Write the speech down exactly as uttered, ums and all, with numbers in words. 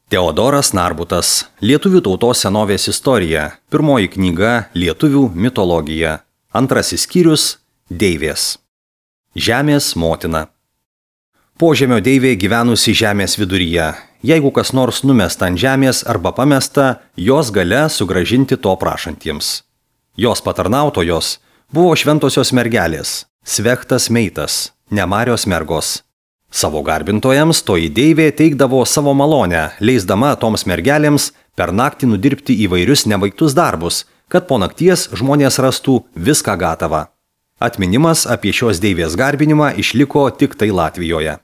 Teodoras Narbutas. Lietuvių tautos senovės istorija. Pirmoji knyga Lietuvių mitologija. Antrasis skyrius Deivės. Žemės motina. Požemio deivė gyvenusi žemės viduryje. Jeigu kas nors numesta ant žemės arba pamesta, jos galia sugrąžinti to prašantiems. Jos patarnautojos buvo šventosios mergelės, Svechtas Meitas, Nemarios mergos. Savo garbintojams toji deivė teikdavo savo malonę, leisdama toms mergelėms per naktį nudirbti įvairius nebaigtus darbus, kad po nakties žmonės rastų viską gatavą. Atminimas apie šios deivės garbinimą išliko tik tai Latvijoje.